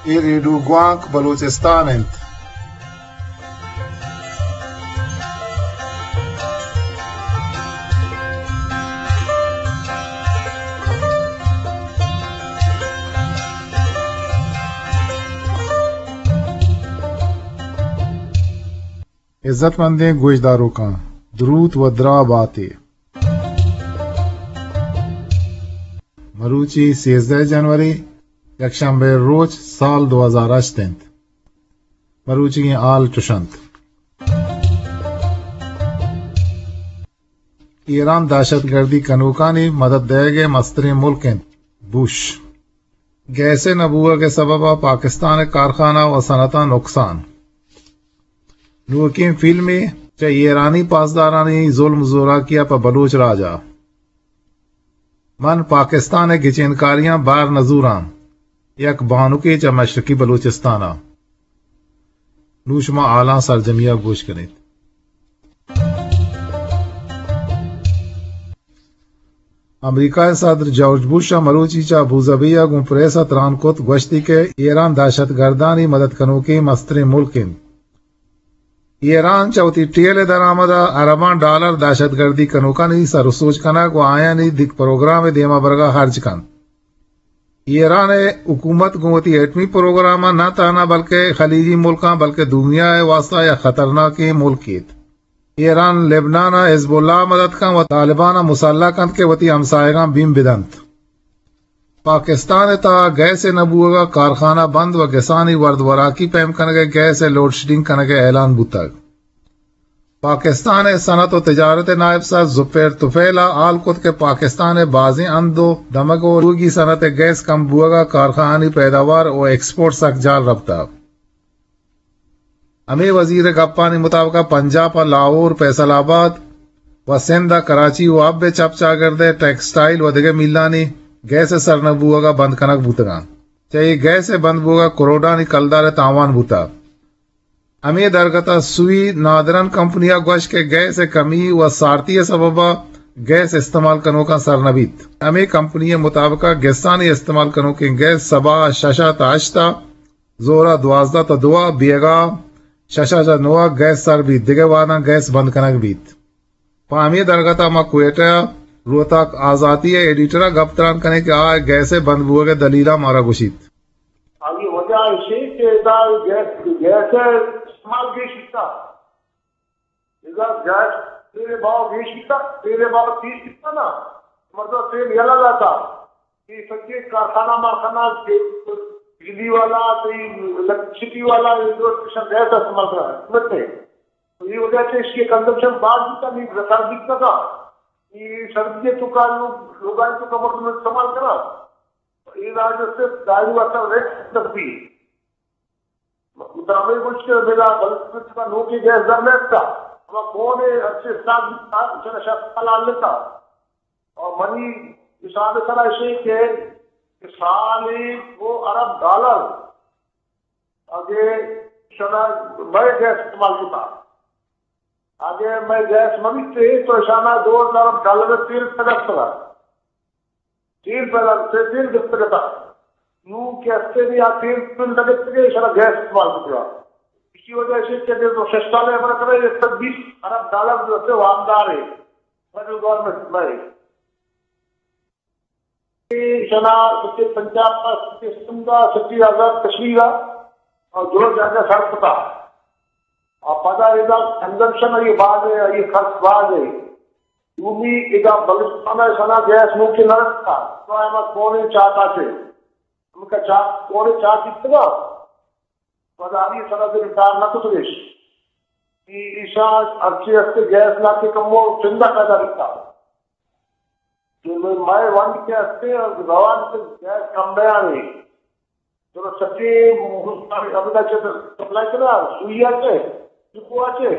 اے ریڈیو گوانک بلوچستان انت۔ عزت مندیں گوشداروکاں، دروت و دراہ باتے۔ مروچی سیزدہ جنوری، یکشنبے روچ، سال دو ہزار ہشت انت۔ مروچیگیں حال چش انت۔ ایران دہشت گردی کنوکانی مدد دئیگ ء مستریں ملک انت، بش۔ گیس ء نہ بوگ ء سبب ء پاکستان ء کارخانہ و صنعتاں نقصان۔ نوکیں فلمے چہ ایرانی پاسدارانی ظلم زوراکی ء پہ بلوچ راج ء۔ من پاکستان ء گچینکاریاں بار نہ زوراں، یک بانکے چہ مشرقی بلوچستان ء۔ نوں شما حالاں سرجمی ء گوش کنیت۔ امریکہ ء صدر جارج بش ء مروچی چہ ابوظہبی ء گوں پریس ء تران کت، گوشتی کہ ایران دہشت گردانی مدد کنوکیں مستریں ملک انت۔ ایران چہ وتی ٹیل ء درآمد ء ارباں ڈالر دہشت گردی کنوکانی سر ء سوج کنگ و آیانی دگہ پروگرام ء دیما برگ ء ہرج کنت۔ ایران ء حکومت گوں وتی ایٹمی پروگرام ء نہ تہنا بلکہ خلیجی ملکاں بلکہ دنیا ء واستہ یک خطرناکیں ملکے ات۔ ایران لبنان ء حزب اللہ ء مدد کنت و طالبان ء مسلح کنت کہ وتی ہمساہگاں بیم بدنت۔ پاکستان ء تہا گیس ء نہ بوہگ ء کارخانہ بند و گسانی ورد وراکی پیم کنگ ء گیس ء لوڈشیڈنگ کنگ ء اعلان بوتگ۔ پاکستان ء صنعت و تجارت ء نائب صدر زبیر طفیل ء ہال کت کہ پاکستان ء بازیں ہند و دمگ و لوگی صنعت ء گیس کم بوہگ ء کارخانہانی پیداوار و ایکسپورٹ سک جال رپتگ۔ ہمے وزیر ء گپانی مطابق ء پنجاب ء لاہور، فیصل آباد و سندھ ء کراچی و حب ء چپ چاگرد ء ٹیکسٹائل و دگہ ملانی گیس ء سر نہ بوہگ ء بند کنگ بوتگ انت۔ چہ اے گیس ء بند بوہگ ء کروڑانی کلدار ء تاوان بوتگ۔ ہمے درگت ء سوئی نادرن کمپنی ء گوشت کہ گیس ء کمی و سارتی ء سبب ء گیس استعمال کنوکاں سر نہ بیت۔ ہمے کمپنی ء مطابق ء گسانی استعمال کنوکیں گیس سباہ ء شش ء تا ہشت ء، زور ء دوازدہ تا دو ء، بیگاہ شش ء چہ نو ء گیس سر بیت، دگہ وہداں گیس بند کنگ بیت۔ پہ ہمے درگت ء ما کوئٹہ ء روتاک آزاتی ء ایڈیٹر ء گپ تران کنیں کہ آ گیس ء بند بوگ ء دلیلاں مارا گوشیت۔ آئی وجہ ایشی کہ ادا گیس، گیس ء استعمال گیش بیتا۔ ادا گیس تیل ء بھاؤ گیش بیتا، تیل ء بھاؤ تیز بیتا نا، مطلب تیل یلہ داتا۔ اے سجے کارخانہ مارخانہ، تیل، بجلی والا، تئی الیکٹریسٹی والا، اے جو اسٹیشن گیس استعمال کرا ہے، سمجھتے ہیں؟ تو اے وجہ سے اس کی کنزمپشن باز بیتا، نہیں رسا بیتا تھا۔ اے سردی تو کا لوگ، لوگاں تو کمر میں استعمال کرا۔ اے راج سے دائری واتا ریٹ تک بھی۔ مطابق کچھ کہ میرا بلکہ نوکی گیس در نیتا۔ ہما کون ہے اچھے ساتھ بیتا، چلا شخص حلال لیتا۔ اور منی حساب سرا ایشی کہ سالی دو ارب ڈالر اگے شنا مئے گیس استعمال کتا۔ اگے مئے گیس مہ بیتے تو شنا دو ارب ڈالر تیل پیدا کرا۔ تیل پیدا کرتے، تیل گپت کرتا۔ نو کہ ہستے بھی آ تیل، تیل نہ گپت کہ شنا گیس استعمال کرا۔ اسی وجہ سے کہ اگر تو شش سال ہے ہمارا کرا، ایک سو بیس ارب ڈالر جو ہے وامدار ہے۔ فیڈرل گورنمنٹ میں۔ شنا سچے پنجاب کا، سچے سندھ کا، سچے آزاد کشمیر کا، اور جو جگہ سر پتا۔ اور پدا ادا کنزمپشن یہ باز ہے، یہ خرچ باز ہے۔ دومی ادا بلوچستان ہے، شنا گیس ممکن نہ رکھتا۔ تو ہم کونے چاہتا سے۔ ہم کا چاہ، کونے چاہ کتنا؟ پدا ہمیں سرا سے انکار نہ کتگش۔ کہ ایشاں ہرچی ہستے گیس لاتے کمو چندہ پیدا بیتا۔ کہ مئے ونڈ کہ ہستے روان کہ گیس کم بیانے۔ تو سچے ہمدا چہ سپلائی کنا، سوئی آ چہ، چکو آ چہ،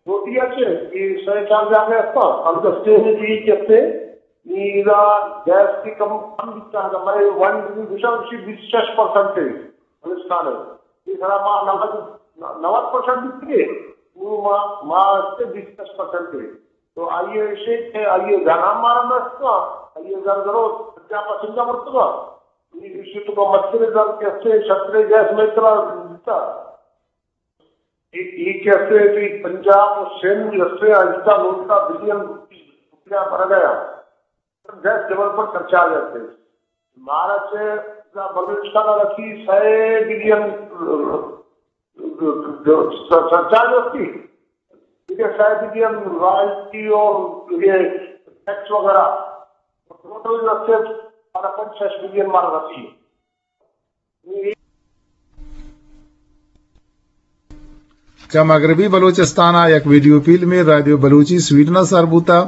روٹی آ چہ، یہ سہ چار جاگہ ہستا۔ ہم دستے میں بھی کہتے، نی ادا گیس کی کم، کم بیتا، مئے ونڈ بھی گشا اسی بیس شش پرسنٹ ہے، بلوچستان ہے۔ یہ سرا ما نود، نود پرسنٹ بیتگے، نو ما، ما ہستے بیس شش پرسنٹ ہے۔ تو آئیے ایشی کہ آئیے گھر ہم مارا نہ استگا، آئیے گھر درو پنجاہ پرسنٹ مرتگا۔ ایشی تو کا مچھر زر کیسے چھترے گیس میں اتنا دیتا۔ ایک، ایک کیسے بھی پنجاب اور سندھ جیسے آہستہ لوٹتا بلین روپیہ مر گیا۔ گیس ڈیولپمنٹ سرچارج ہے۔ مارا سے بلوچستان رسی سئے بلین سرچارج ہوتی، ٹھیک ہے، سئے بلین رائلٹی اور یہ ٹیکس وغیرہ، ٹوٹل رسی ہمارا پنچ شش بلین مارا رسی۔ چہ مغربی بلوچستان ء یک ویڈیو فلمے رادیو بلوچی سویڈن ء سر بوتہ۔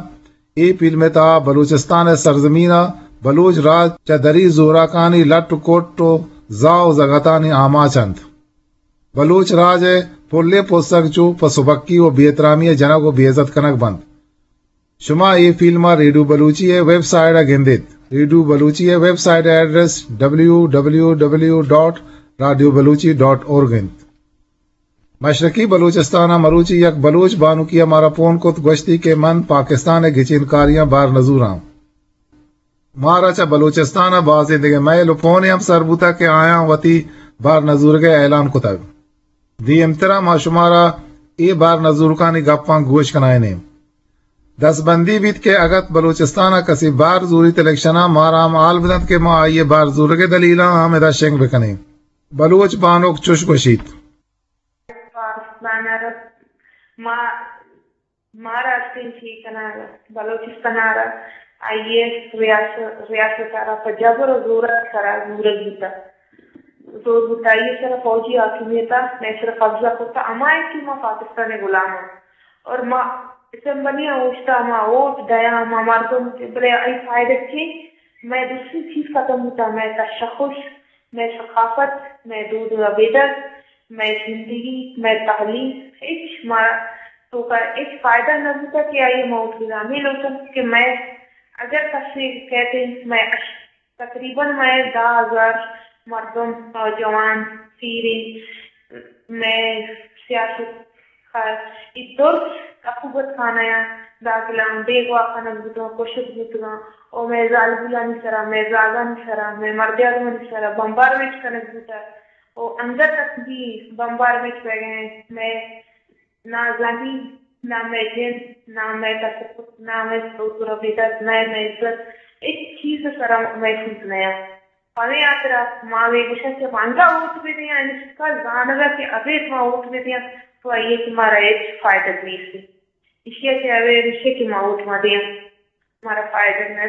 اے فلم ء تہا بلوچستان ء سرزمین ء بلوچ راج چہ دری زوراکانی لٹ و کٹ و زاہ و زگتانی آماچ انت۔ بلوچ راج ء پلیں پسگ چو پہ سبکی و بے احترامی ء جنگ و بے عزت کنگ بنت۔ شما اے فلم ء ریڈیو بلوچی ء ویب سائٹ ء گندیت۔ ریڈیو بلوچی ء ویب سائٹ ء ایڈریس ڈبلیو ڈبلیو ڈبلیو ڈاٹ رادیو بلوچی ڈاٹ اورگ انت۔ مشرقی بلوچستان ء مروچی یک بلوچ بانکی ء مارا پون کت، گوشتی کہ من پاکستان ء گچینکاریاں بار نزوراں۔ مارا چہ بلوچستان ء بازیں دگہ میل و پونے ہم سر بوتگ کہ آیاں وتی بار نزورگ ء اعلان کتگ۔ دیمترا ما شمارا اے بار نزورکانی گپاں گوش کنائینیں۔ دستبندی بیت کہ اگت بلوچستان ء کسی بار زوریت الیکشن ء مارا ہم حال بدنت کہ ما آئی ء بار زورگ ء دلیلاں ہم ادا شنگ بکنیں۔ بلوچ بانک چش گوشیت۔ پاکستان ء ما، مارا استیں چی کنگ، بلوچستان ء را آئی ء ریاست، ریاست ء را پہ جبر و زور ء سرا زورگ بوتگ۔ زور بوتگ، آئی ء سرا فوجی حاکمیت ء مئے سرا قبضہ کرتگ، ہما ء کہ ما پاکستان ء غلام آں۔ اور ما اسمبلی ء اوشتاں، ما ووٹ دیاں، ما مردم، بلے آئی فائدہ چی؟ مئے درستی چیز ختم بوتگ، مئے تشخص، مئے ثقافت، مئے دود و ربیدگ، مئے زندگی، مئے تعلیم، ہچ ما توکا ہچ فائدہ نہ بوتگ کہ آئی ء ما ووٹ بداں۔ ہمے لوٹاں کہ مئے اگر کسے کئیت، مئے اش-، تقریباً مئے دہ ہزار مردم، نوجوان، پیریں، مئے سیاست کار، اے درست عقوبت خانہ ء داخل آں، بیگواہ کنگ بوتگاں، کشگ بوتگاں، او مئے زالبولانی سرا، مئے زاگانی سرا، مئے مردیاگانی سرا بمبارمنٹ کنگ بوتگ، او انگت تک بھی بمبارمنٹ بیگ ء انت، مئے نہ زمین، نہ مئے جند، نہ مئے تصور، نہ مئے سوز و ربیدگ، نہ مئے عزت، ہچ چیز سرا محفوظ نہ انت۔ پمے ہاترا ما وے گوشاں کہ ما انگا ووٹ بدیاں، یعنی شکا زانگا کہ ابید ما ووٹ بدیاں، تو آئی ء کہ مارا ہچ فائدہ نیست۔ ایشی ء کہ ابید ایشی کہ ما ووٹ ما دیاں، مارا فائدہ نہ۔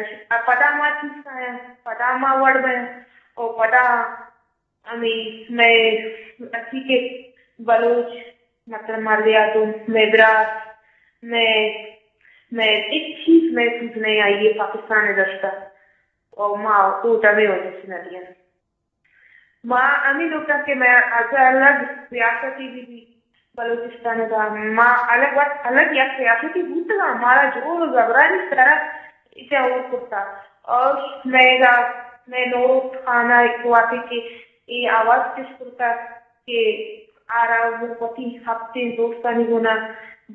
پدا ما چیز کایاں، پدا ما وڑ بیاں، او پدا ہمے مئے اسی کہ بلوچ، مطلب، مردیات و مئے برات، مئے، مئے ہچ چیز محفوظ نہ آئی ء پاکستان ء دستا۔ و ما ووٹ ہمے وجہ سے نہ دیاں۔ ما ہمے لوٹاں کہ مئے از الگ ریاستی بہ بیت بلوچستان ء، ما الگ وت الگ یک ریاستی بوتگاں، مارا جور و زبرانی سرا ایشاں ہور کرتا۔ اور مئے گا، مئے نوروز خان ء وہدے کہ اے آواز چست کرتا کہ آرا وتی ہپتیں دوستانی گونا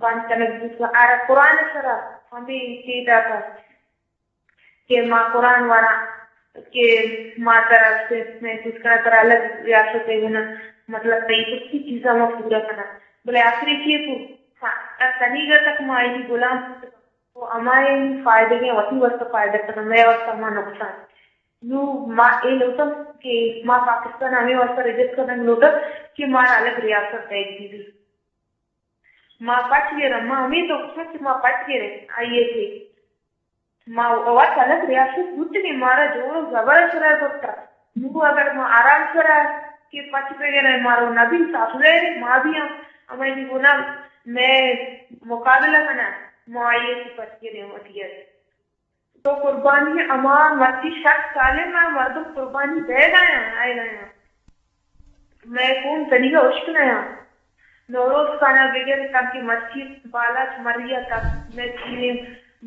بند کنگ بوتگا، آرا قرآن ء سرا ہمے چے داتا کہ ما قرآن وراں کہ ما ترا سے محسوس کناں، ترا الگ ریاست ء گونا، مطلب، تئی درستی چیزاں ما پورا کناں۔ بلے آخری چے کو؟ ہاں، تنیگا تک ما آئی غلام بوتگاں۔ تو ہمائی فائدگیں وتی واسطہ فائدہ کناں، مئے واسطہ ہما نقصان۔ نوں ما اے لوٹاں کہ ما پاکستان ہمے واسطہ ریجیکٹ کنگ لوٹاں کہ مارا الگ ریاست دیگ بہ بیت۔ ما پچ گراں، ما ہمے تو گوشاں کہ ما پچ گریں، آئی ء کہ ما وت الگ ریاست بوتگیں، مارا جور و زبر ء سرا برتا۔ نوں اگر ما آرام سرا کہ پچ بگریں، مارو نبی صاف ظاہر، ما بھی ہم ہمائی گونا مئے مقابلہ کناں، ما آئی ء کہ پچ گریں وتی ء۔ تو قربانی ہما مرچی شک سالیں ء مردم قربانی دئیگ ء آیاں، آیگ ء آیاں۔ مئے خون تنیگا ہشک نہ آں۔ نوروز خان ء بگر تاکہ مرچی بالاچ مری ء تک مئے پیریں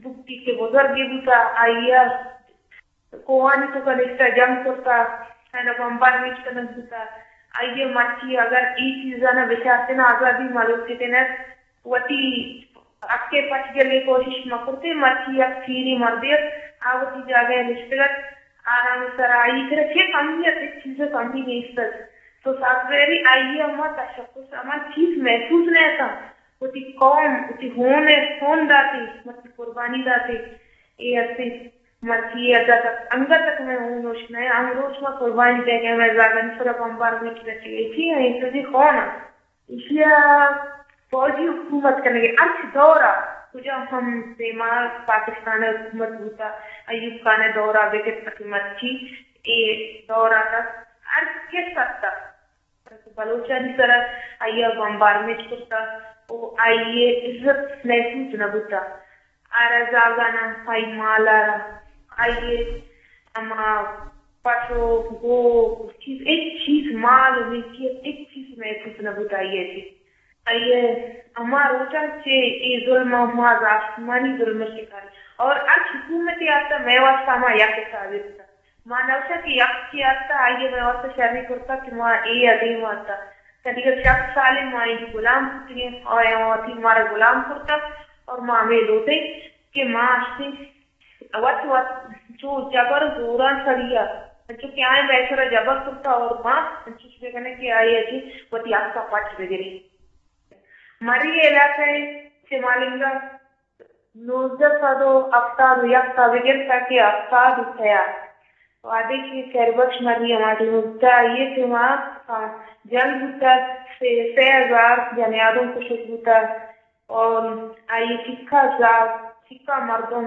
بگٹی کہ بزرگے بوتا، آئی ء کوہانی توکا نشتہ جنگ کرتا، آئی ء بمبارمنٹ کنگ بوتا۔ آئی ء مرچی اگر اے چیزانا بچارتیں آزادی ما لوٹتیں ات، وتی حق ء پچ جنگ ء کوشش مہ کرتیں، مرچی یک پیریں مردے ات، آ وتی جاگہ ء نشتگ ات، آرام سرا آئی کرا چے کمی ات، ہچ چیز کمی نیست ات۔ تو سافٹ ویئر آئی ہما تشخص، ہما چیز محسوس نہ اتاں۔ وتی قوم، وتی ہون ء خون داتے، مرچی قربانی داتے۔ اے ہستے مرچی ادا تک، انگت تک میں ہون ہوش نہ، ہم روچ ما قربانی دے گئے، میں زاگن سرا بمبار میں رچی گئی تھی، اے تو جی خون ات۔ ایشی ء فوجی حکومت کنگے ہرچ دور ء کجا ہم دیما پاکستان ء حکومت بوتا، ایوب خان ء دور ء بگر تک مرچی اے دور ء تک ہر کس اتک بلوچانی سر ء آئی ء بمبارمنٹ کرتا و آئی ء عزت محسوس نہ بوتا۔ آرا زاگانا آئی مال آرا، آئی ہما پسو، گو، چیز، ہچ چیز، مال و ملکیت، ہچ چیز محسوس نہ بوت آئی ء چہ۔ آئی ء ہما روچاں چہ اے ظلم ء ما آسمانی ظلم ء شکار اور ہر حکومت آتا مئے واسطہ ہما یک حسابے بوتا۔ ما نوشا کہ یک چی آتا، آئی ء مئے واسطہ شری کرتا کہ ما اے ادیم آتا۔ تنیگا شست سالے ما اے غلام بوتگیں، آیا وتی مارا غلام کرتا اور ما ہمیں لوٹیں کہ ما اشتیں وت وت چو جبر زوراں سڑی ء، انچو کہ آئیں مئے سرا جبر کرتا اور ما انچوش بہ کنیں کہ آئی ء چہ وتی حق ء پچ بہ گریں۔ مری علاقہ ء چہ مالنگا نوزدہ سد و ہفتاد و یک تا بگر تا کہ ہفتاد و سئے ء وہدے کہ خیر بخش مری ہما ٹیم بوتا، آئی ء ٹیم ء جنگ بوتا، سے، سے ہزار جنیادم کشگ بوتا۔ اور آئی چکا زاگ، چکا مردم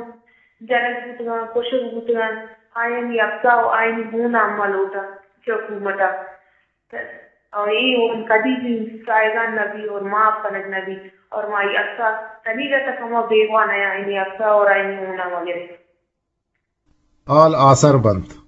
جنگ بوتگاں، کشگ بوتگاں، آیانی افسا و آیانی ہون ہم لوٹاں چہ حکومت ء۔ اور اے ہون کدی بھی سائگان نہ بی اور معاف کنگ نہ بی۔ اور ما آئی افسا تنیگا تک ہما بیگواہ نہ آیانی افسا اور آیانی ہون ہم گرے۔ آل آسر بنت۔